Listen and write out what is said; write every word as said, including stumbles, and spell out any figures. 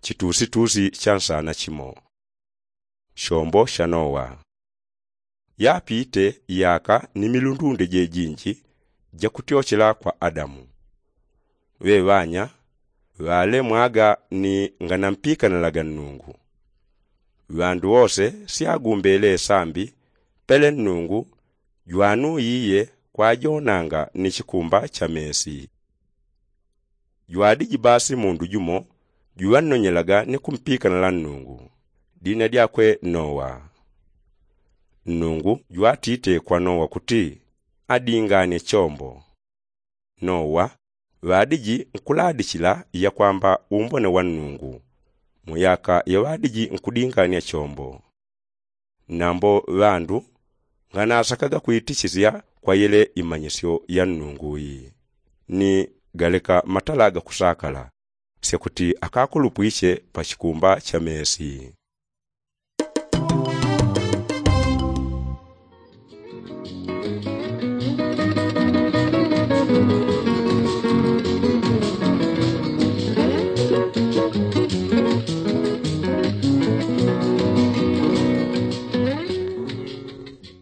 chitusitusi cha nsana chimo. Shombo sha nowa. Yapite yaka ni milundunde jejinji jakutyochela kwa adamu. Ŵeŵanya ŵalemwaga ni nganampikanalaga nnungu. Ŵandu wose syagumbele sambi pele nnungu jwanuyiye kwajonanga ni chikumba cha mesi. Jwadiji basi mundu jumo juŵannonyelaga ni kumpikanala nnungu, dina dyakwe nowa. Nnungu jwatite kwa nowa kuti adinganye chombo. Nowa ŵadiji nkuladichila yakwamba umbone wa nnungu mu yaka yaŵadiji nkudinganya chombo. Nambo ŵandu nganasakaga kwitichisya kwa yele imanyisyo ya nnungu yi ni galeka matala gakusakala syakuti akakulupwiche pa chikumba cha mesi.